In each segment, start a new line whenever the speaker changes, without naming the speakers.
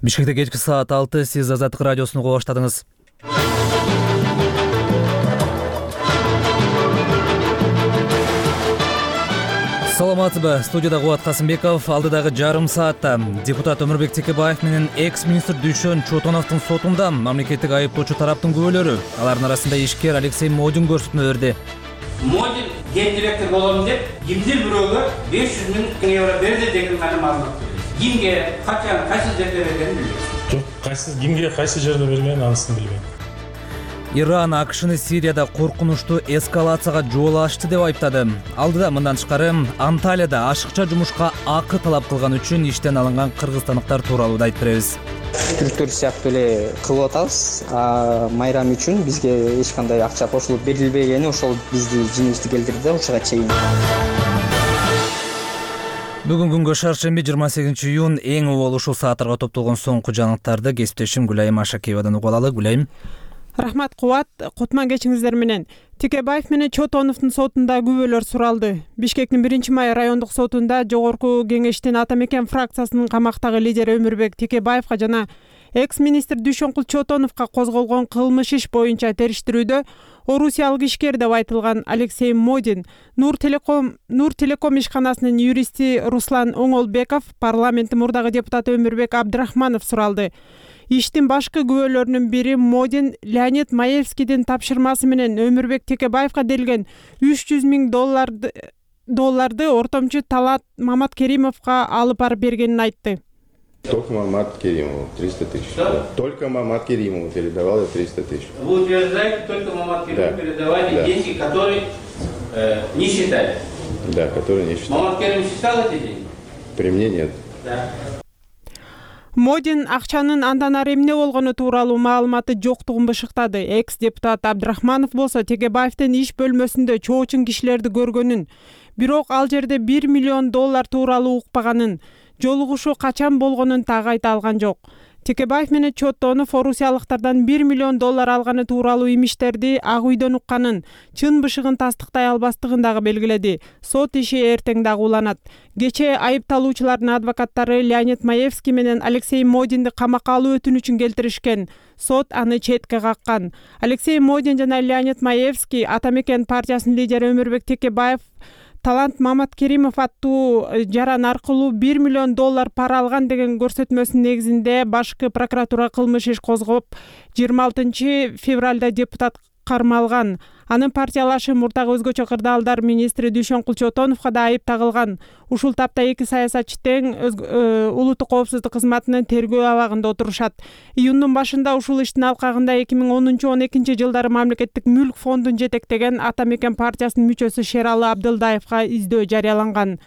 Бишкекте кечки саат 6, сиз Азаттык радиосуну уга баштадыңыз. Саламатсызбы? Студияда Кубат Касымбеков. Алдыдагы жарым саатта депутат Өмүрбек Текебаев менен экс-министр Дүйшөн Чотоновдун сотунда мамлекеттик айыптоочу тараптын күбөлөрү, алардын арасында ишкер Алексей Модин көрсөтмө берди.
Модин гендиректор болом деп, кимдир бирөөгө 500 000 евро берди деген гана маалымат берди. Кимге, качан, кайсы жерде бергенин билбейм.
Жок, кимге кайсы жерде берген, анысын билбейм.
Иран АКШны Сирияда коркунучтуу эскалацияга жол ачты деп айыптады. Алдыда мындан тышкары Анталияда ашыкча жумушка акы талап кылган үчүн иштен алынган кыргызстандыктар тууралуу да айтып беребиз.
Түрктөр сыяктуу эле кылып атабыз. Майрам үчүн бизге эч кандай акча кошулуп берилбегени ошол бизди жеңишти келтирди ушуга чейин.
Бүгүн күнгө шаршемби 28 июнь эң убал ушул сааттарга топтолгон соңку жаңылыктарды кесиптешим Гүлайым Ашакеевадан угуп алалы. Гүлайым.
Рахмат Кубат, кутман кечиңиздер менен. Текебаев менен Чотоновдун сотунда күбөлөр суралды. Бишкектин 1-май райондук сотунда жогорку кеңештин Ата Мекен фракциясынын камактагы лидери Өмүрбек Текебаевга жана экс-министр Дүйшөн Чотоновго козголгон кылмыш иш боюнча териштирүүдө орусиялык ишкер деп айтылган Алексей Модин, Нур Телеком ишканасынын юристи Руслан Оңолбеков, парламенттин мурдагы депутаты Өмүрбек Абдрахманов суралды. Иштин башкы күбөлөрүнүн бири Модин Леонид Маевскийдин тапшырмасы менен Өмүрбек Текебаевга берилген $300 000 ортомчу Талат Маматкеримовго алып барып бергенин айтты.
Только Маматкеримову 300 000. Только Маматкеримову передавал 300 000.
Вы утверждаете, только Маматкеримову передавали деньги, которые не считали?
Да, которые не считали.
Маматкерим считал эти деньги?
При мне нет.
Да.
Модин акчанын андан ары эмне болгону тууралуу маалыматы жоктугун бышыктады. Экс-депутат Абдрахманов болсо Текебаевдин иш бөлмөсүндө чоочун кишилерди көргөнүн, бирок ал жерде $1 миллион тууралуу укпаганын, жолугушуу качан болгонун так айта алган жок. Текебаев менен Чотонов орусиялыктардан $1 миллион алганы тууралуу имиштерди Ак үйдөн укканын, чын бышыгын тастыктай албастыгын дагы белгиледи. Сот иши эртең дагы уланат. Кечээ айыпталуучулардын адвокаттары Леонид Маевский менен Алексей Модинди камакка алуу өтүнүчүн келтиришкен. Сот аны четке каккан. Алексей Модин жана Леонид Маевский Ата Мекен партиясынын лидери Өмүрбек Текебаев Талант Маматкеримов аттуу жаран аркылуу $1 миллион пара алган деген көрсөтмөсүнүн негизинде башкы прокуратура кылмыш иш козгоп 26 февралда депутат кармалган. Анын партиялашы мурдагы өзгөчө кырдаалдар министри Дүйшөн Чотоновго да айып тагылган. Ушул тапта эки саясатчы тең улуттук коопсуздук кызматынын тергөө абагында отурушат. Июндун башында ушул иштин алкагында 2010-12 жылдары мамлекеттик мүлк фондун жетектеген Ата Мекен партиясынын мүчөсү Шералы Абдылдаевга издөө жарыяланган.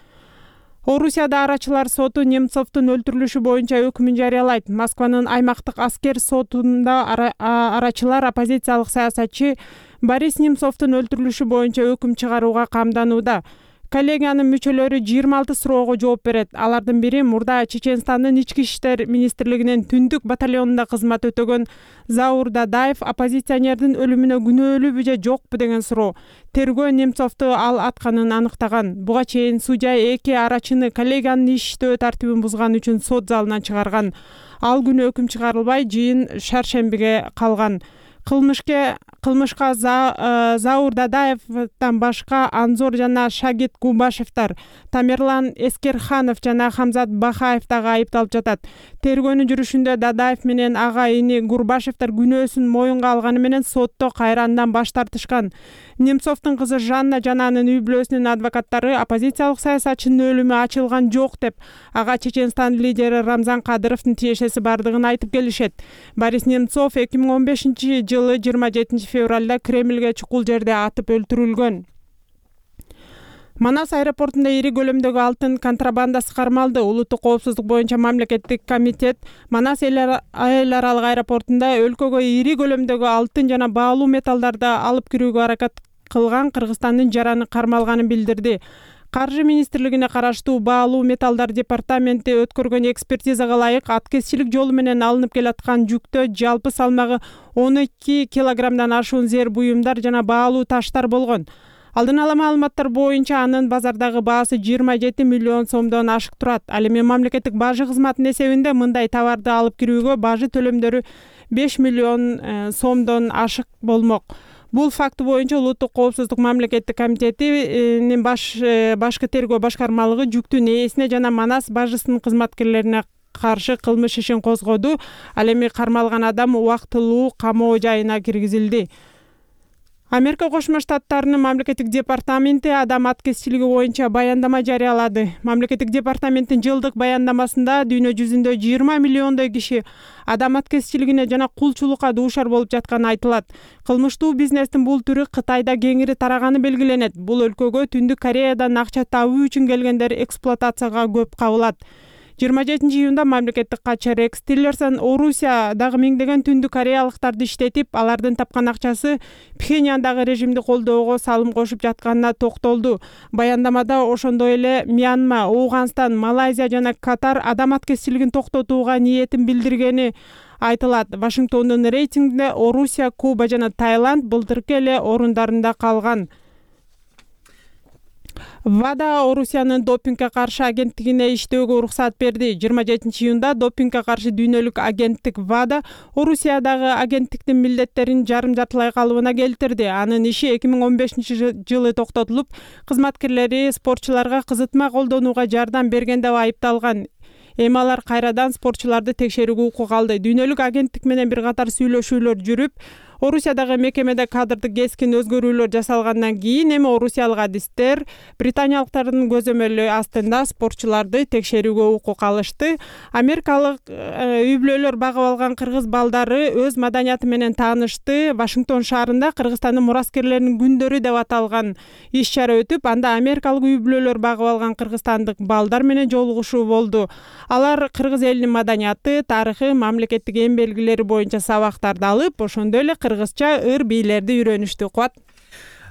Орусияда арачылар соту Немцовдун өлтүрүлүшү боюнча өкүмүн жарыялайт. Москванын аймактык аскер сотунда арачылар оппозициялык саясатчы Борис Немцовдун өлтүрүлүшү боюнча өкүм чыгарууга камданууда. Коллегиянын мүчөлөрү 26 суроого жооп берет. Алардын бири мурда Чеченстандын ички иштер министрлигинин түндүк батальонунда кызмат өтөгөн Заур Дадаев оппозиционердин өлүмүнө күнөөлүүбү же жокпу деген суроо. Тергөө Немцовду ал атканын аныктаган. Буга чейин судья эки арачыны коллегиянын иштөө тартибин бузган үчүн сот залынан чыгарган. Ал күнү өкүм чыгарылбай, жыйын шаршембиге калган. Кылмышка Заур Дадаевден башка Анзор жана Шагит Губашевдер, Тамерлан Эскерханов жана Хамзат Бахаев дагы айыпталып жатат. Тергөөнүн жүрүшүндө Дадаев менен ага ини Гурбашевдер күнөөсүн моюнга алганы менен сотто кайрадан баш тартышкан. Немцовдун кызы Жанна жана анын үй бүлөсүнүн адвокаттары оппозициялык саясатчынын өлүмү ачылган жок деп, ага Чеченстан лидери Рамзан Кадыровдун тиешеси бардыгын айтып келишет. Борис Немцов 2015 жылы 27 февралда Кремльге чукул жерде атып өлтүрүлгөн. Манас аэропортунда ири көлөмдөгү алтын контрабандасы кармалды. Улуттук коопсуздук боюнча мамлекеттик комитет Манас эл аралык аэропортунда өлкөгө ири көлөмдөгү алтын жана баалуу металлдарды алып кирүүгө аракет кылган Кыргызстандын жараны кармалганын билдирди. Каржы министрлигине караштуу баалуу металлдар департаменти өткөргөн экспертизага ылайык аткезчилик жолу менен алынып келаткан жүктө жалпы салмагы 12 килограммдан ашуун зер буюмдар жана баалуу таштар болгон. Алдын ала маалыматтар боюнча анын базардагы баасы 27 миллион сомдон ашык турат. Ал эми мамлекеттик бажы кызматынын эсебинде мындай товарды алып кирүүгө бажы төлөмдөрү 5 миллион сомдон ашык болмок. Бул факт боюнча Улуттук коопсуздук мамлекеттик комитетинин башкы тергөө башкармалыгы жүктүн ээсине жана Манас бажысынын кызматкерлерине каршы кылмыш ишин козгоду. Ал эми кармалган адам убактылуу камоо жайына киргизилди. Америка Кошмо Штаттарынын мамлекеттик департаменти адам аткезчилиги боюнча баяндама жарыялады. Мамлекеттик департаменттин жылдык баяндамасында дүйнө жүзүндө 20 миллиондой киши адам аткезчилигине жана кулчулукка дуушар болуп жатканы айтылат. Кылмыштуу бизнестин бул түрү Кытайда кеңири тараганы белгиленет. Бул өлкөгө Түндүк Кореядан акча табуу үчүн келгендер эксплуатацияга көп кабылат. 27 июнда мамлекеттик катчы Рекс Тиллерсон Орусия дагы миңдеген Түндүк Кореялыктарды иштетип, алардын тапкан акчасы Пхеньяндагы режимди колдоого салым кошуп жатканына токтолду. Баяндамада ошондой эле Мьянма, Ооганстан, Малайзия жана Катар адам аткезчилигин токтотууга ниетин билдиргени айтылат. Вашингтондун рейтингинде Орусия, Куба жана Таиланд былтыркы эле орундарында калган. ВАДА Орусиянын допингге каршы агенттигине иштөөгө уруксат берди. 27 июнда допингге каршы дүйнөлүк агенттик ВАДА Орусиядагы агенттиктин милдеттерин жарым-жартылай калыбына келтирди. Анын иши 2015 жылы токтотулуп, кызматкерлери спортчуларга кызытма колдонууга жардам берген деп айыпталган. Эми алар кайрадан спортчуларды текшерүүгө укук алды. Дүйнөлүк агенттик менен бир катар сүйлөшүүлөр жүрүп, Орусиядагы мекемеде кадрдык кескин өзгөрүүлөр жасалгандан кийин эми орусиялык адистер британиялыктардын көзөмөлү астында спортчуларды текшерүүгө укук алышты. Америкалык үй-бүлөлөр багып алган кыргыз балдары өз маданияты менен таанышты. Вашингтон шаарында Кыргызстандын мураскерлеринин күндөрү деп аталган иш-чара өтүп, анда америкалык үй-бүлөлөр багып алган кыргызстандык балдар менен жолугушуу болду. Алар кыргыз элинин маданияты, тарыхы, мамлекеттик эң белгилери боюнча сабактарды алып, ошондой эле кыргызча ыр-бийлерди үйрөнүштү. Кубат.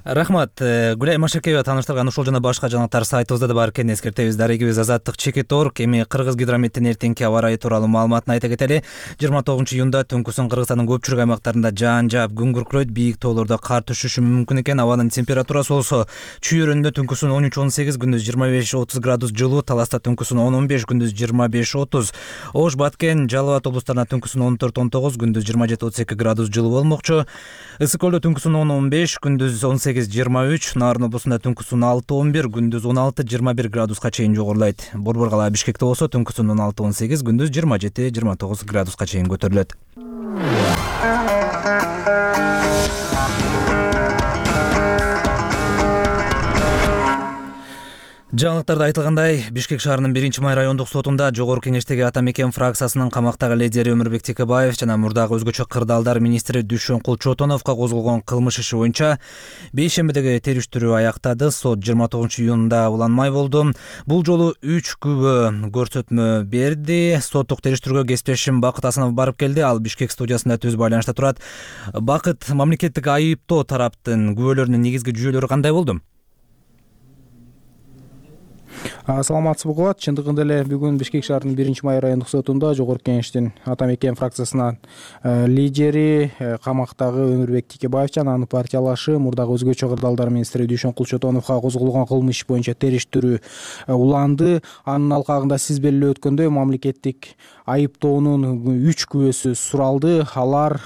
Рахмат. Гүлай Машакеева тааныштырган ушул жана башка жаңылыктар сайтыбызда да бар экенин эскертебиз. Дарегибиз Азаттык Чекит.орг. Эми Кыргыз гидрометтин эртеңки аба ырайы тууралуу маалыматын айта кетели. 29 июнда түнкүсүн Кыргызстандын көпчүлүк аймактарында жаан жаап, күн күркүрөйт, бийик тоолордо кар түшүшү мүмкүн экен. Абанын температурасы болсо Чүй-Өрөндө түнкүсүн 13-18, күндүз 25-30 градус жылуу, Таласта түнкүсүн 10-15, күндүз 25-30, Ош, Баткен, Жалал Абад облустарына түнкүсүн 14-19, күндүз 27-32 градус жылуу болмокчу. Ысык Көлдө түнкүсүн 10-15, күндүз 18-23, Нарын облусунда түнкүсүн 6-11, күндүз 16-21 градуска чейин жогорулайт. Борбор кала Бишкекте болсо түнкүсүн 16-18, күндүз 27-29 градуска чейин көтөрүлөт. Жаңылыктарда айтылгандай, Бишкек шаарынын 1-Май райондук сотунда Жогорку Кеңештеги Ата Мекен фракциясынын камактагы лидери Өмүрбек Текебаев жана мурдагы өзгөчө кырдаалдар министри Дүшөнкул Чотоновго козголгон кылмыш иши боюнча бейшембидеги териштирүү аяктады. Сот 29 июнда уланмай болду. Бул жолу 3 күбө көрсөтмө берди. Соттук териштирүүгө кесиптешим Бакыт Асанов барып келди. Ал Бишкек студиясында түз байланышта турат. Бакыт, мамлекеттик айыптоо тараптын күбөлөрүнүн негизги жүйөлөрү кандай болду?
Саламатсызбы Кубат. Чындыгында эле бүгүн Бишкек шаарынын 1-Май райондук сотунда Жогорку Кеңештин Ата Мекен фракциясынын лидери камактагы Өмүрбек Текебаев жана анын партиялашы мурдагы өзгөчө кырдаалдар министри Дүшөнкул Чотоновго козголгон кылмыш иш боюнча териштирүү уланды. Анын алкагында сиз белгилеп өткөндөй мамлекеттик айыптоонун 3 күбөсү суралды. Алар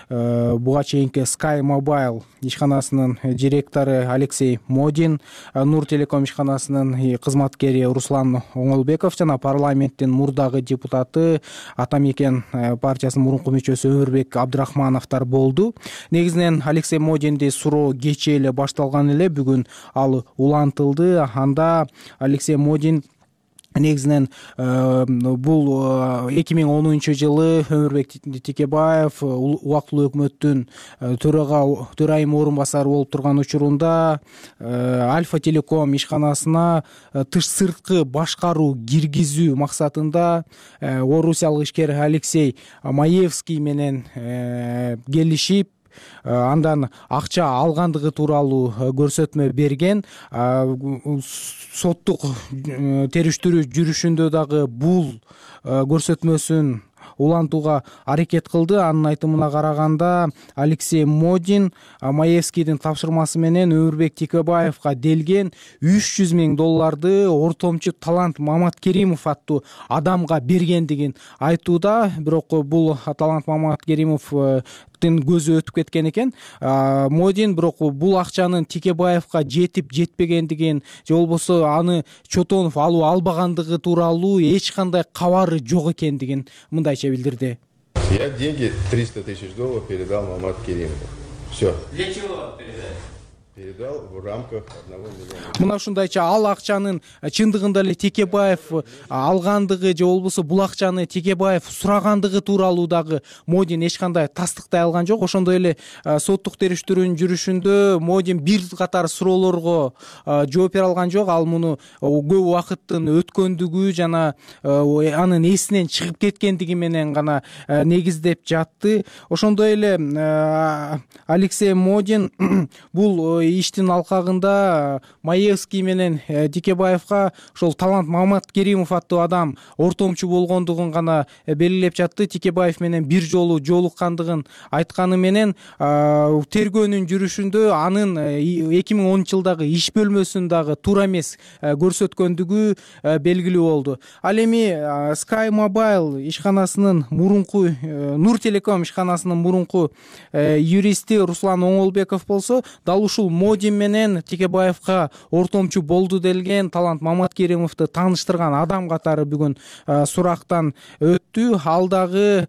буга чейинки Sky Mobile ишканасынын директору Алексей Модин, Нур Телеком ишканасынын кызматкери Руслан Оңолбеков жана парламенттин мурдагы депутаты Ата Мекен партиясынын мурунку мүчөсү Өмүрбек Абдрахмановдор болду. Негизинен Алексей Модинди суроо кечээ эле башталган эле, бүгүн ал улантылды. Анда Алексей Модин негизинен бул 2010 жылы Өмүрбек Текебаев убактылуу өкмөттүн төрайым орун басары болуп турган учурунда Альфа Телеком ишканасына тыш сырткы башкаруу киргизүү максатында орусиялык ишкер Алексей Маевский менен келишип, андан акча алгандыгы тууралуу көрсөтмө берген. Соттук териштирүү жүрүшүндө дагы бул көрсөтмөсүн улантууга аракет кылды. Анын айтымына караганда Алексей Модин Маевскийдин тапшырмасы менен Өмүрбек Текебаевга делген $300,000 ортомчу талант Мамат Керимов аттуу адамга бергендигин айтууда. Бирок бул талант Мамат Керимовдун көзү өтүп кеткен экен. Модин бирок бул акчанын Текебаевга жетип жетпегендигин же болбосо аны Чотонов алуу албагандыгы тууралуу эч кандай кабары жок экендигин мындайча билдирди.
Я деньги $300 000 передал Мамат Керимову. Все.
Для чего передали?
Передал в рамках 1 миллиона.
Мына ушундайча ал акчанын чындыгында эле Текебаев алгандыгы же болбосо бул акчаны Текебаев сурагандыгы тууралуу дагы Модин эч кандай тастыктай алган жок. Ошондой эле соттук териштирүүнүн жүрүшүндө Модин бир катар суроолорго жооп бере алган жок. Ал муну көп убакыттын өткөндүгү жана анын эсинен чыгып кеткендиги менен гана негиздеп жатты. Ошондой эле Алексей Модин бул иштин алкагында Маевский менен Текебаевга ошол талант Мамат Керимов аттуу адам ортомчу болгондугун гана белгилеп жатты. Текебаев менен бир жолу жолуккандыгын айтканы менен тергөөнүн жүрүшүндө анын 2010-жылдагы иш бөлмөсүн дагы туура эмес көрсөткөндүгү белгилүү болду. Ал эми Sky Mobile ишканасынын мурунку Нур Телеком ишканасынын мурунку юристи Руслан Оңолбеков болсо дал ушул Модин менен Текебаевга ортомчу болду делген талант Мамат Керимовду тааныштырган адам катары бүгүн сурактан өттү. Ал дагы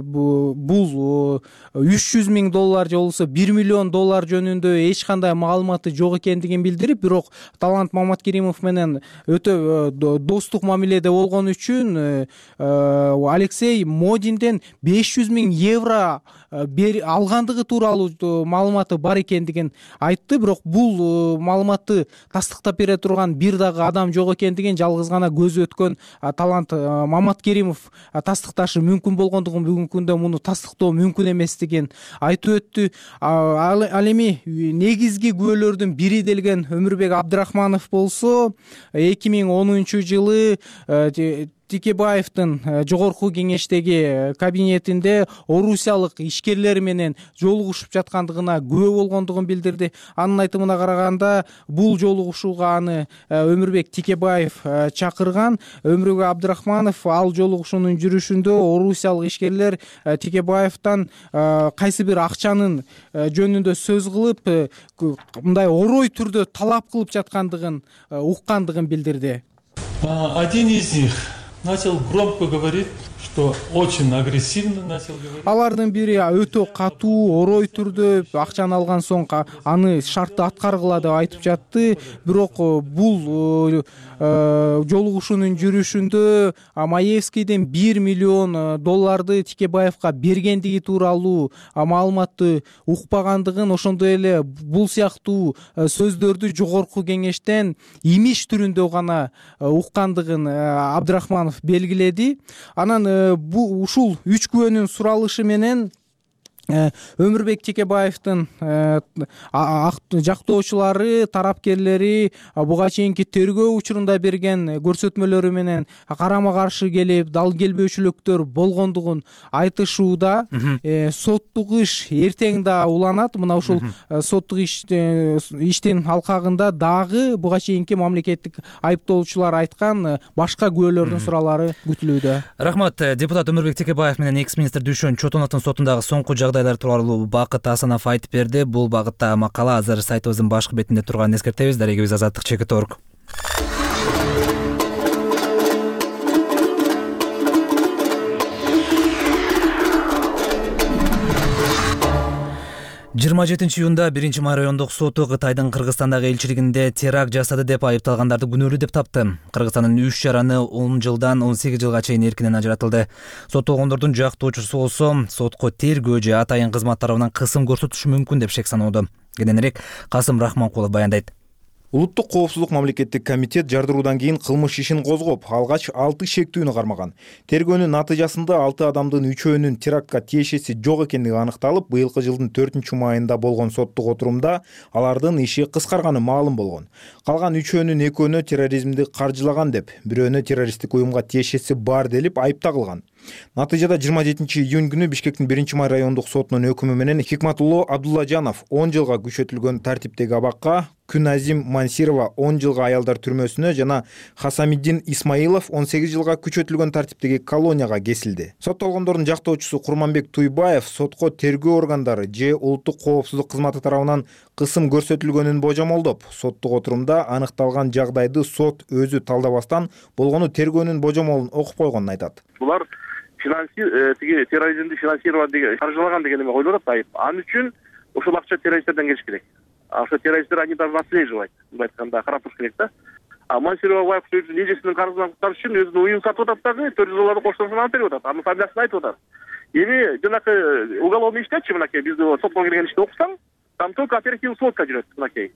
бул $300,000 же болбосо $1 миллион жөнүндө эч кандай маалыматы жок экендигин билдирип, бирок талант Мамат Керимов менен өтө достук мамиледе болгон үчүн Алексей Модинден €500,000 алгандыгы тууралуу маалыматы бар экендигин айтты. Бирок бул маалыматты тастыктап бере турган бир дагы адам жок экендигин жалгыз гана көзү өткөн талант Мамат Керимов тастыкташы мүмкүн болгондугун, бүгүнкү күндө муну тастыктоо мүмкүн эместигин айтып өттү. Ал эми негизги күбөлөрдүн бири делген Өмүрбек Абдрахманов болсо 2010-жылы Текебаевдин жогорку кеңештеги кабинетинде орусиялык ишкерлер менен жолугушуп жаткандыгына күбө болгондугун билдирди. Анын айтымына караганда бул жолугушууга аны Өмүрбек Текебаев чакырган. Өмүрбек Абдрахманов ал жолугушуунун жүрүшүндө орусиялык ишкерлер Текебаевден кайсы бир акчанын жөнүндө сөз кылып, мындай орой түрдө талап кылып жаткандыгын уккандыгын билдирди.
Один из них начал громко говорить, что очень агрессивно начал говорить.
Алардын бири өтө катуу, орой түрдө акчаны алган соң аны шартты аткаргыла деп айтып жатты. Бирок бул жолугушуунун жүрүшүндө Маевскийден $1 миллион Текебаевга бергендиги тууралуу маалыматты укпагандыгын, ошондой эле бул сыяктуу сөздөрдү жогорку кеңештен имиш түрүндө гана уккандыгын Абдрахманов белгиледи. Анан ушул 3 күбөнүн суралышы менен Өмүрбек Текебаевдин жактоочулары, тарапкерлери буга чейинки тергөө учурунда берген көрсөтмөлөрү менен карама каршы келип, дал келбөөчүлүктөр болгондугун айтышууда. Соттук иш эртең да уланат. Мына ушул соттук иштин алкагында дагы буга чейинки мамлекеттик айыптоочулар айткан башка күбөлөрдүн суралары күтүлүүдө.
Рахмат. Депутат Өмүрбек Текебаев менен экс-министр Дүйшөн Чотоновдун сотундагы соңку жагдайлар тууралуу Бакыт Асанов айтып берди. Бул багытта макала азыр сайтыбыздын башкы бетинде турганын эскертебиз. Дарегибиз Азаттык Чекит.org. Жыйырма 7-июнда 1-май райондук соту Кытайдын Кыргызстандагы элчилигинде теракт жасады деп айыпталгандарды күнөөлүү деп тапты. Кыргызстандын 3 жараны 10 жылдан 18 жылга чейин эркинен ажыратылды. Соттолгондордун жактоочусу болсо сотко тергөө же атайын кызмат тарабынан кысым көрсөтүшү мүмкүн деп шек саноодо. Кененирээк Касым Рахманкулов баяндайт.
Улуттук коопсуздук мамлекеттик комитет жардыруудан кийин кылмыш ишин козгоп, алгач 6 шектүүнү кармаган. Тергөөнүн натыйжасында 6 адамдын 3-өөнүн терактка тиешеси жок экендиги аныкталып, быйылкы жылдын 4-майында болгон соттук отурумда алардын иши кыскарганы маалым болгон. Калган 3-өөнүн 2-өөнө терроризмди каржылаган деп, бирөөнө террористтик уюмга тиешеси бар делип айып тагылган. Натыйжада 27 июнь күнү Бишкектин 1-май райондук сотунун өкүмү менен Хикматулло Абдуллажанов 10 жылга күчөтүлгөн тартиптеги абакка, Күназим Мансирова 10 жылга аялдар түрмөсүнө жана Хасамиддин Исмаилов 18 жылга күчөтүлгөн тартиптеги колонияга кесилди. Соттолгондордун жактоочусу Курманбек Туйбаев сотко тергөө органдары же улуттук коопсуздук кызматы тарабынан кысым көрсөтүлгөнүн божомолдоп, соттук отурумда аныкталган жагдайды сот өзү талдабастан болгону тергөөнүн божомолун окуп койгонун айтат.
Булар тиги терроризмди финансировать деген, каржылаган деген эме коюлуп атат айып. Ал үчүн ошол акча террористтерден келиш керек. Ошо террористтер они даже отслеживать, мындай айтканда карап туруш керек да. А Мансирова байкуш өзүнүн эжесинин карызынан куткарыш үчүн өзүнүн уюн сатып атат дагы, 400 долларды коштурушун алып берип атат. Анын фамилиясын айтып атат. Эми жанакы уголовный иштечи мынакей бизди сотко кирген ишти окусаң, там только оперативный сводка жүрөт мынакей.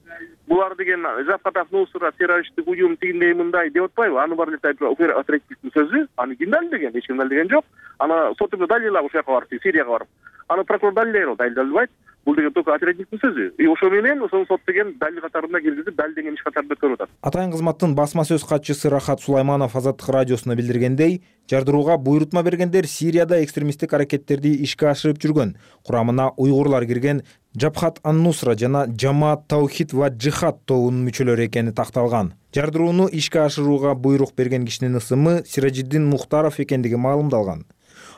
Булар деген Жапкатов Нусра террористтик уюм тигиндей мындай деп атпайбы? Аны бар эле оперативдин сөзү, аны ким далилдеген? Эч ким далилдеген жок. Аны соту далилдап ошол жака барып, Сирияга барып. Аны прокурор далилдейт, далилдебайт. Бул деген только оперативдин сөзү. Ошо менен ошол сот деген далил катарында киргизип, далилдеген иш катарында өткөрүп атат.
Атайын кызматтын басма сөз катчысы Рахат Сулайманов Азаттык радиосуна билдиргендей, жардырууга буйрутма бергендер Сирияда экстремисттик аракеттерди ишке ашырып жүргөн, курамына уйгурлар кирген Жабхат ан-Нусра жана Жамаат Таухид ва Джихад тобунун мүчөлөрү экени такталган. Жардырууну ишке ашырууга буйрук берген кишинин ысымы Сиражиддин Мухтаров экендиги маалымдалган.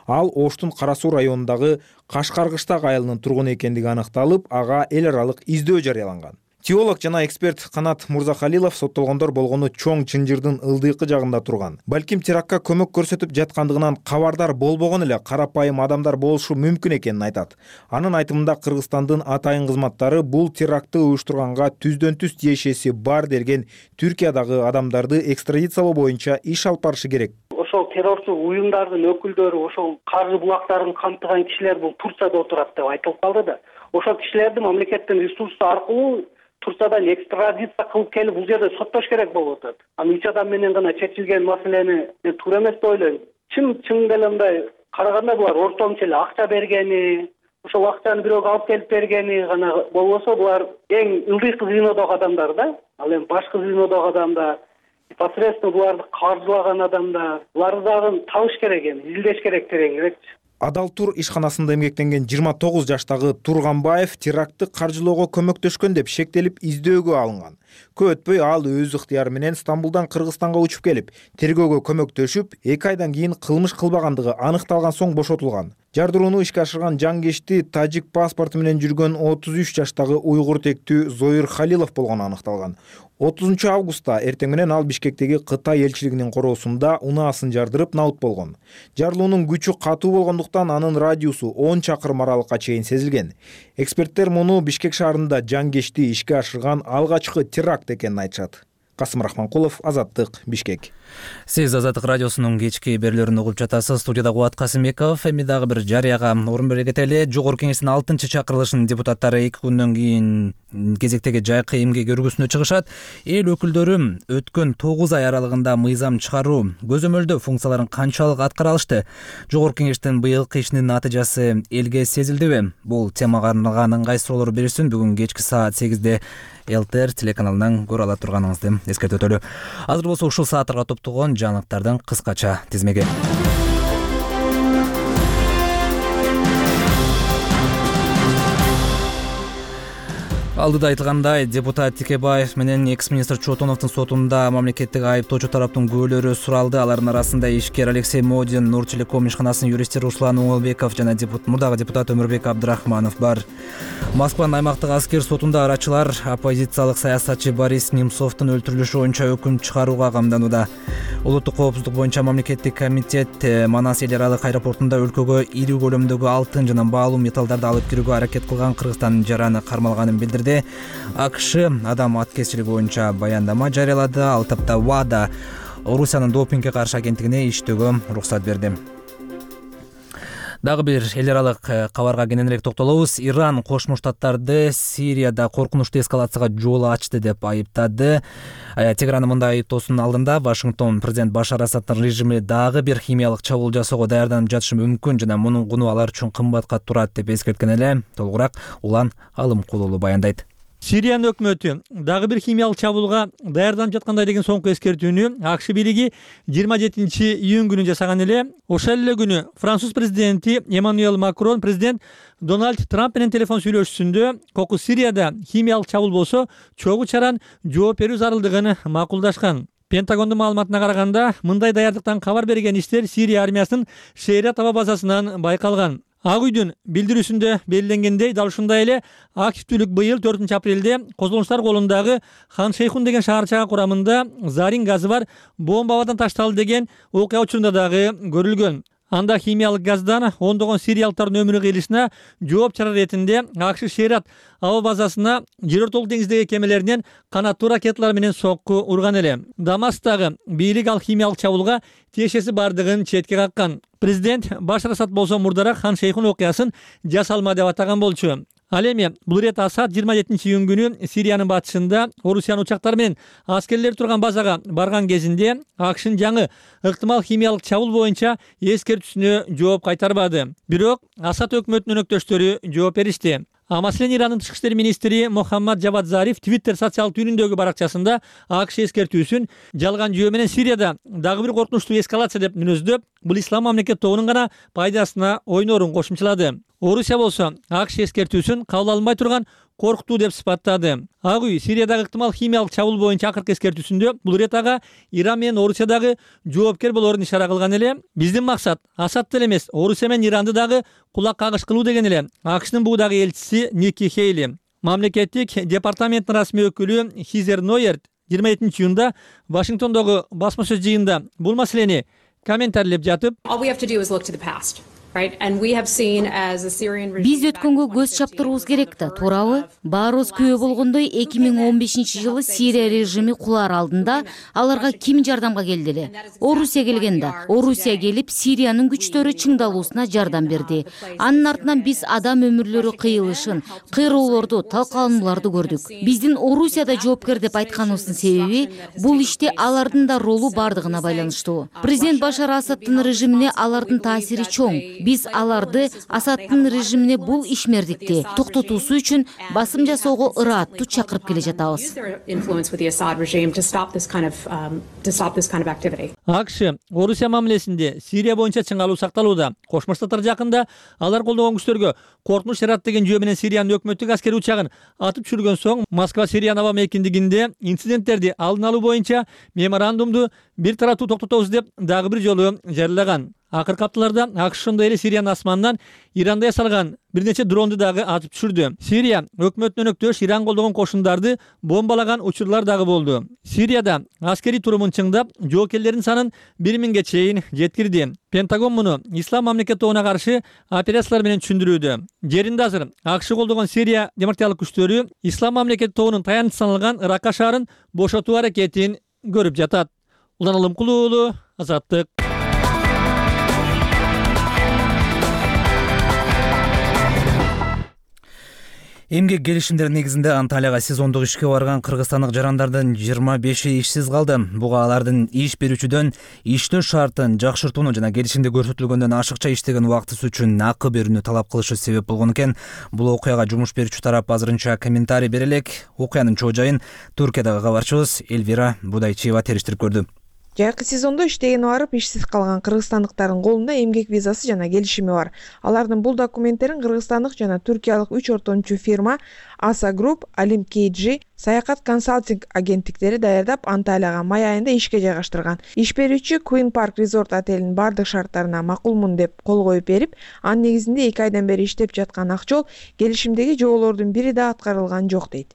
Ал Оштун Кара Суу районундагы Кашкаргыштак айылынын тургуну экендиги аныкталып, ага эл аралык издөө жарыяланган. Теолог жана эксперт Канат Мурзахалилов соттолгондор болгону чоң чынжырдын ылдыйкы жагында турган. Балким терактка көмөк көрсөтүп жаткандыгынан кабардар болбогон эле карапайым адамдар болушу мүмкүн экенин айтат. Анын айтымында Кыргызстандын атайын кызматтары бул терактты уюштурганга түздөн-түз тиешеси бар делген Түркиядагы адамдарды экстрадициялоо боюнча иш алып барышы керек.
Ошол террорчу уюмдардын өкүлдөрү, ошол каржы булактарын камтыган кишилер бул Турцияда отурат деп айтылып калды да. Ошол кишилерди мамлекеттин ресурсу аркылуу Турциядан экстрадиция кылып келип бул жерде соттош керек болуп атат. Аны 3 адам менен гана чечилген маселени туура эмес деп ойлойм. Чын деле мындай караганда булар ортомчу эле акча бергени, ошол акчаны бирөөгө алып келип бергени гана болбосо, булар эң ылдыйкы звенодогу адамдар да. Ал эми башкы звенодогу адамдар, непосредственно буларды каржылаган адамдар, буларды дагы табыш керек эми, изилдеш керек тереңирээкчи.
Адалтур ишканасында эмгектенген 29 жаштагы Турганбаев терактты каржылоого көмөктөшкөн деп шектелип издөөгө алынган. Көп өтпөй ал өз ыктыяры менен Стамбулдан Кыргызстанга учуп келип, тергөөгө көмөктөшүп, 2 айдан кийин кылмыш кылбагандыгы аныкталган соң бошотулган. Жардырууну ишке ашырган жангечти тажик паспорту менен жүргөн 33 жаштагы уйгур тектүү Зоир Халилов болгону аныкталган. 30 августта эртең менен ал Бишкектеги Кытай элчилигинин короосунда унаасын жардырып наут болгон. Жарылуунун күчү катуу болгондуктан анын радиусу 10 чакырым аралыкка чейин сезилген. Эксперттер муну Бишкек шаарында жангечти ишке ашырган алгачкы теракт экенин айтышат. Касым Рахманкулов, Азаттык, Бишкек.
Сиз Азаттык радиосунун кечки берүүлөрүн угуп жатасыз. Студияда Кубат Касымбеков. Эми дагы бир жарыяга орун бере кетели. Жогорку кеңештин 6-чакырылышынын депутаттары 2 күндөн кийин кезектеги жайкы эмгек өргүсүнө чыгышат. Эл өкүлдөрү өткөн 9 ай аралыгында мыйзам чыгаруу, көзөмөлдөө функцияларын канчалык аткара алышты? Жогорку кеңештин быйылкы ишинин натыйжасы элге сезилдиби? Бул темага арналган ыңгай суроолор берүүсүн бүгүн кечки саат 8-де ЛТР телеканалынан көрө ала турганыңызды эскертип өтөлү. Азыр болсо ушул сааттарга топтогон жаңылыктардын кыскача тизмеги. Алдыда айтылгандай, депутат Текебаев менен экс-министр Чотоновдун сотунда мамлекеттик айыптоочу тараптын күбөлөрү суралды. Алардын арасында ишкер Алексей Модин, Нуртелеком ишканасынын юристтери Руслан Оңолбеков жана мурдагы депутат Өмүрбек Абдрахманов бар. Москванын аймактык аскер сотунда арачылар оппозициялык саясатчы Борис Немцовдун өлтүрүлүшү боюнча өкүм чыгарууга камданууда. Улуттук коопсуздук боюнча мамлекеттик комитет Манас эл аралык аэропортунда өлкөгө ири көлөмдөгү алтын жана баалуу металлдарды алып кирүүгө аракет кылган Кыргызстандын жараны кармалганын билдирди. АКШ адам аткезчилиги боюнча баяндама жарыялады. Ал тапта ВАДА Орусиянын допингге каршы агенттигине иштөөгө уруксат берди. Дагы бир эл аралык кабарга кененирээк токтолобуз. Иран Кошмо Штаттарды Сирияда коркунучтуу эскалацияга жол ачты деп айыптады. Тегерандын мындай айыптоосунун алдында Вашингтон президент Башар Асаддын режими дагы бир химиялык чабуул жасоого даярданып жатышы мүмкүн жана мунун куну алар үчүн кымбатка турат деп эскерткен эле. Толугураак Улан Алымкулуулу баяндайт.
Сириянын өкмөтү дагы бир химиялык чабуулга даярданып жаткандай деген соңку эскертүүнү АКШ бийлиги 27-июнь күнү жасаган эле. Ошол эле күнү Француз президенти Эммануэль Макрон президент Дональд Трамп менен телефон сүйлөшүүсүндө кокус Сирияда химиялык чабуул болсо чогуу чаран жооп берүү зарылдыгын макулдашкан. Пентагондун маалыматына караганда, мындай даярдыктан кабар берген иштер Сирия армиясынын Шейрат аба базасынан байкалган. Ак үйдүн билдирүүсүндө белгиленгендей, дал ушундай эле активдүүлүк быйыл 4-апрелде козголоңчулар колундагы Хан Шейхун деген шаарчага курамында зарин газы бар бомба абадан ташталды деген окуя учурунда дагы көрүлгөн. Анда химиялык газдан ондогон сириялыктардын өмүрү кыйылышына жооп чара иретинде АКШ Шейрат аба базасына жер ортолук деңиздеги кемелеринен канаттуу ракеталар менен сокку урган эле. Дамасктагы бийлик ал химиялык чабуулга тиешеси бардыгын четке каккан. Президент Башар Асад болсо мурдараак Хан Шейхун окуясын жасалма деп атаган болчу. Ал эми бул ирет Асад 27-июнь күнү Сириянын батышында Орусиянын учактары менен аскерлер турган базага барган кезинде АКШнын жаңы ыктымал химиялык чабуул боюнча эскертүүсүнө жооп кайтарбады. Бирок Асад өкмөтүнүн өнөктөштөрү жооп беришти. Маселен, Ирандын тышкы иштер министри Мохаммад Джавад Зариф Twitter социалдык түйүнүндөгү баракчасында АКШ эскертүүсүн жалган жүйө менен Сирияда дагы бир коркунучтуу эскалация деп мүнөздөп, бул ислам мамлекет тобунун гана пайдасына ойнорун кошумчалады. Орусия болсо АКШ эскертүүсүн кабыл алынбай турган коркутуу деп сыпаттады. Ак үй Сириядагы ыктымал химиялык чабуул боюнча акыркы эскертүүсүндө бул ирет ага Иран менен Орусиядагы жоопкер болоорун ишара кылган эле. Биздин максат Асадты эле эмес, Орусия менен Иранды дагы кулак кагыш кылуу деген эле АКШнын бугудагы элчиси Ники Хейли. Мамлекеттик департаменттин расмий өкүлү Хизер Нойерт 27-июнда Вашингтондогу басма сөз жыйынында бул маселени комментарийлеп жатып,
биз өткөнгө көз чаптырыбыз керек да, туурабы? Баарыбыз күбө болгондой 2015-жылы Сирия режими кулаар алдында аларга ким жардамга келди эле? Орусия келген да. Орусия келип Сириянын күчтөрү чыңдалуусуна жардам берди. Анын артынан биз адам өмүрлөрү кыйылышын, кыйроолорду, талкаланууларды көрдүк. Биздин Орусияда жоопкер деп айтканыбыздын себеби бул иште алардын да ролу бардыгына байланыштуу. Президент Башар Асадтын режимине алардын таасири чоң. Биз аларды Асадтын режимине бул ишмердикти токтотуусу үчүн басым жасоого ырааттуу чакырып келе жатабыз.
АКШ Орусия мамилесинде Сирия боюнча чыңалуу сакталууда. Кошмо Штаттар жакында алар колдогон күчтөргө коркунуч Шейрат деген жүйө менен Сириянын өкмөттүк аскери учагын атып түшүргөн соң, Москва Сириянын аба мейкиндигинде инциденттерди алдын алуу боюнча меморандумду бир тараптуу токтотобуз деп дагы бир жолу жарыялаган. Акыркы апталарда АКШ ошондой эле Сириянын асманынан Иранда ясалган бир нече дронду дагы атып түшүрдү. Сирия өкмөтүнүн өнөктөш Иран колдогон кошундарды бомбалаган учурлар дагы болду. Сирияда аскери турумун чыңдап, жоокерлердин санын 1000-ге чейин жеткирди. Пентагон муну ислам мамлекет тобуна каршы операциялар менен түшүндүрүүдө. Жеринде азыр АКШ колдогон Сирия демократиялык күчтөрү ислам мамлекет тобунун таянычы саналган Ракка шаарын бошотуу аракетин көрүп жатат. Улан Алымкулуу уулу, Азаттык.
Эмгек келишимдери негизинде Анталияга сезондук ишке барган кыргызстандык жарандардын 25-и ишсиз калды. Буга алардын иш берүүчүдөн иштөө шартын жакшыртууну жана келишимде көрсөтүлгөндөн ашыкча иштеген убактысы үчүн акы берүүнү талап кылышы себеп болгон экен. Бул окуяга жумуш берүүчү тарап азырынча комментарий бере элек. Окуянын чоо жайын Туркиядагы кабарчыбыз Элвира Будайчиева териштирип көрдү.
Жайкы сезондо иштеген барып ишсиз калган кыргызстандыктардын колунда эмгек визасы жана келишими бар. Алардын бул документтерин кыргызстандык жана туркиялык 3 ортомчу фирма Asa Group, Alim KG, саякат консалтинг агенттиктери даярдап Анталияга май айында ишке жайгаштырган. Иш берүүчү Queen Park Resort отелинин бардык шарттарына макулмун деп кол коюп берип, анын негизинде 2 айдан бери иштеп жаткан Акчол келишимдеги жоболордун бири да аткарылган жок дейт.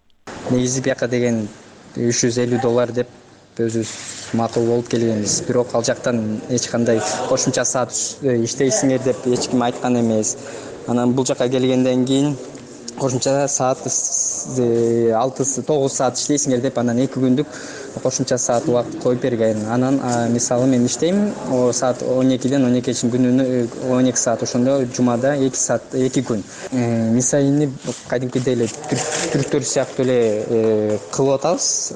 Негизи бияка деген $350 деп өзүбүз макул болуп келгенбиз. Бирок ал жактан эч кандай кошумча саат иштейсиңер деп эч ким айткан эмес. Анан бул жака келгенден кийин кошумча саат 6-9 саат иштейсиңер деп анан 2 күндүк кошумча саат убакыт коюп берген. Анан мисалы мен иштейм саат 12-ден 12-чейин күнүнө 12 саат, ошондо жумада 2 саат 2 күн. Мисалыны кадимкидей эле түрктөр сыяктуу эле кылып атабыз.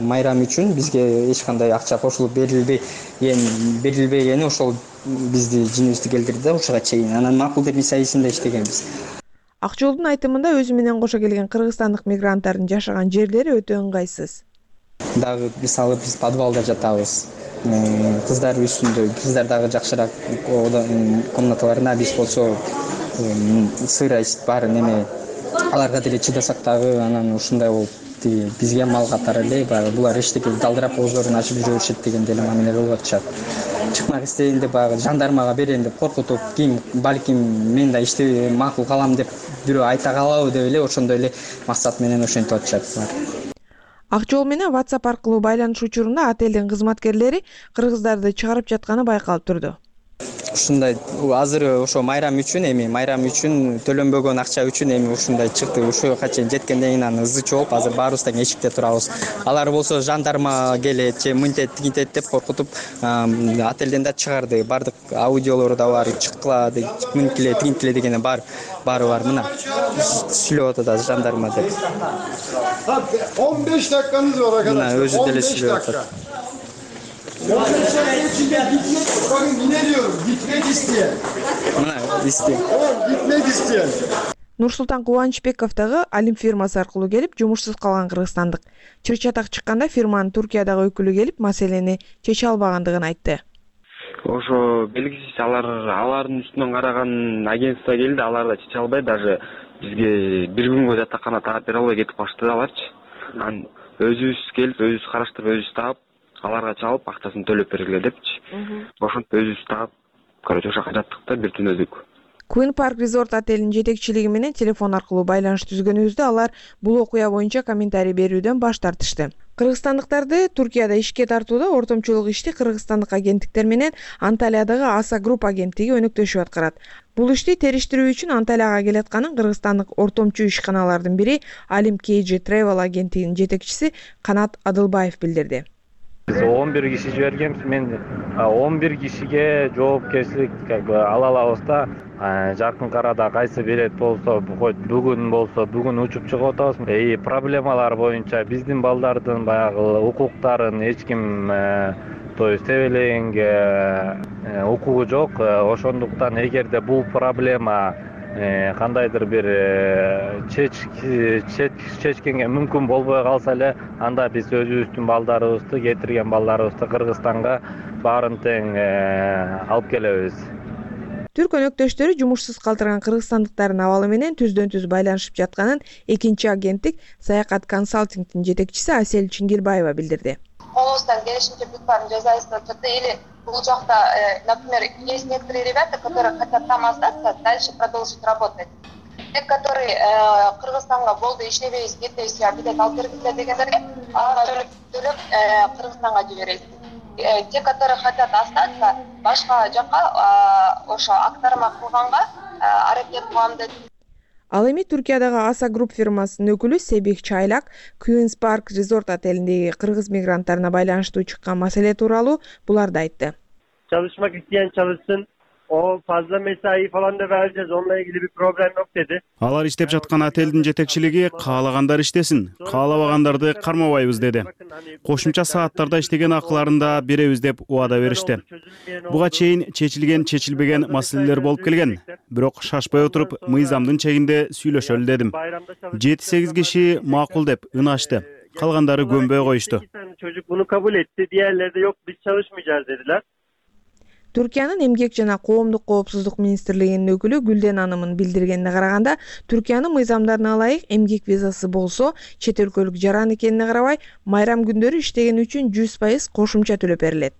Майрам үчүн бизге эч кандай акча кошулуп берилбегени ошол бизди жинибизди келтирди да ушуга чейин. Анан макул деп мисалысында иштегенбиз.
Ак жолдун айтымында өзү менен кошо келген кыргызстандык мигранттардын жашаган жерлери өтө ыңгайсыз.
Дагы мисалы биз подвалда жатабыз. Кыздар үстүндө, кыздар дагы жакшыраак комнаталарында, биз болсо сырость бар неме аларга деле чыдасак дагы анан ушундай болуп бизге мал катары эле баягы булар эчтеке далдырап ооздорун ачып жүрө беришет деген деле мамиле кылып атышат. Чыкмак истейин деп баягы жандармага берейин деп коркутуп, кийин балким мен да ишти макул калам деп бирөө айта калабы деп эле ошондой эле максат менен ошентип атышат.
Ак жол менен WhatsApp аркылуу байланыш учурунда отелдин кызматкерлери кыргыздарды чыгарып жатканы байкалып турду.
Ушундай азыр ошо майрам үчүн төлөнбөгөн акча үчүн ушундай чыкты. Ушуга чейин жеткенден кийин анан ызы чогуп, азыр баарыбыз тең эшикте турабыз. Алар болсо жандарма келет же мынтет тигинтет деп коркутуп отелден да чыгарды. Бардык аудиолору да бар, чыккыла, мынтиле, тигинтиле дегени баары бар. Мына сүйлөп атат азыр жандарма деп.
15 dakikаныз бар акада.
Мына өзү деле сүйлөп атат.
Bakın yine diyorum, gitmek isteyen. Gitmek isteyen.
Нурсултан Кубанычбеков дагы Алим фирмасы аркылуу келип, жумушсуз калган кыргызстандык. Чыр-чатак чыкканда фирманын Туркиядагы өкүлү келип, маселени чече албагандыгын айтты.
Ошо белгисиз алардын үстүнөн караган агентство келди, алар да чече албай, даже бизге бир күнгө жатакана таап бере албай кетип калышты аларчы. Анан өзүбүз келип, өзүбүз караштырып, өзүбүз таап аларга чалып акчасын төлөп бергиле депчи. Ошентип өзүбүз таап, короче ошо жактык да бир түн өдүк.
Queen Park Resort отелинин жетекчилиги менен телефон аркылуу байланыш түзгөнүбүздө алар бул окуя боюнча комментарий берүүдөн баш тартышты. Кыргызстандыктарды Туркияда ишке тартууда ортомчулук ишти кыргызстандык агенттиктер менен Анталиядагы Asa Group агенттиги өнөктөшүп аткарат. Бул ишти териштирүү үчүн Анталияга келатканын кыргызстандык ортомчу ишканалардын бири Alim KG Travel агенттигинин жетекчиси Канат Адылбаев билдирди.
Biz 11 kişi жибергенбиз, мен 11 кишиге жоопкерчилик ала алабыз да. Жакын арада кайсы билет болсо, бүгүн учуп чыгып атабыз. Проблемалар боюнча биздин балдардын баягы укуктарын эч ким тебелегенге укугу жок. Ошондуктан эгерде бул проблема кандайдыр бир чечкенге мүмкүн болбой калса эле, анда биз өзүбүздүн балдарыбызды, кетирген балдарыбызды Кыргызстанга баарын тең алып келебиз.
Түрк өнөктөштөрү жумушсуз калтырган кыргызстандыктардын абалы менен түздөн-түз байланышып жатканын экинчи агенттик Саякат консалтингдин жетекчиси Асель Чингилбаева билдирди.
Колубуздан келишинче бүт баарын жасайбыз деп или бул жакта, например, есть некоторые ребята, которые хотят там остаться, дальше продолжить работать. Те, которые Кыргызстанга болду иштебейбиз, кетебиз, билет алып бергиле дегендерге аларга төлөп Кыргызстанга жиберебиз. Те, которые хотят остаться, башка жакка ошо актарма кылганга аракет кылам деп.
Ал эми Туркиядагы Asa Group фирмасынын өкүлү Себих Чайлак Queen's Park Resort отелиндеги кыргыз мигранттарына байланыштуу чыккан маселе тууралуу буларды айтты.
Çalışmak isteyen çalışsın. O fazla mesai falan da vereceğiz. Onunla ilgili bir problem yok dedi.
Алар иштеп жаткан отелдин жетекчилиги каалагандар иштесин, каалабагандарды кармабайбыз деди. Кошумча сааттарда иштеген акыларын да беребиз деп убада беришти. Буга чейин чечилген маселелер болуп келген. Бирок шашпай отуруп, мыйзамдын чегинде сүйлөшөлү дедим. 7-8 киши макул деп ынашты. Калгандары көнбөй коюшту.
Çocuk bunu kabul etti. Diğerleri de yok biz çalışmayacağız dediler.
Түркиянын эмгек жана коомдук коопсуздук министрлигинин өкүлү Гүлден анымын билдиргенине караганда, Түркиянын мыйзамдарына ылайык эмгек визасы болсо, чет өлкөлүк жаран экенине карабай, майрам күндөрү иштеген үчүн 100% кошумча төлөп берилет.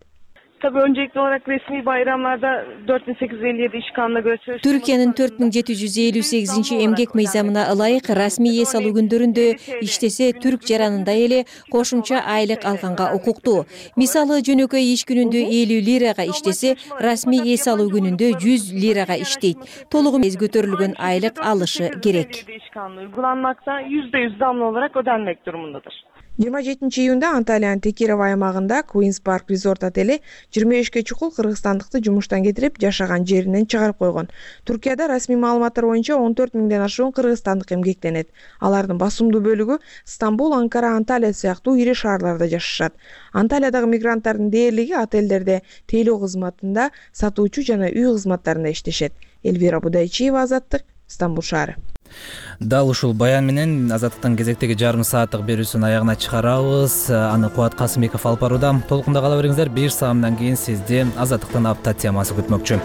Tabii öncelikli olarak resmi bayramlarda 4857 iş kanuna göre
Türkiye'nin 4758 emgek mыйзамына ылайык расмий эс алуу күндөрүндө иштесе түрк жаранында эле кошумча айлык алганга укуктуу. Мисалы жөнөкөй иш күнүндө 50 лирага иштесе, расмий эс алуу күнүндө 100 лирага иштейт. Толугу көтөрүлгөн айлык алышы керек.
iş kanunu uygulanmakta %100 zamlı olarak ödenmek durumundadır.
27 июнда Анталиянын Текирова аймагында Queen's Park Resort отели 25 чукул кыргызстандыкты жумуштан кетирип, жашаган жеринен чыгарып койгон. Туркияда расмий маалыматтар боюнча 14 миңден ашуун кыргызстандык эмгектенет. Алардын басымдуу бөлүгү Стамбул, Анкара, Анталия сыяктуу ири шаарларда жашашат. Анталиядагы мигранттардын дээрлиги отелдерде тейлөө кызматында, сатуучу жана үй кызматтарында иштешет. Элвира Будайчиева, Азаттык, Стамбул шаары.
Дал ушул баян менен Азаттыктын кезектеги жарым сааттык берүүсүн аягына чыгарабыз. Аны Кубат Касымбеков алып барууда. Толкунда кала бериңиздер. 1 саамдан кийин сизди Азаттыктын апта темасы күтмөкчү.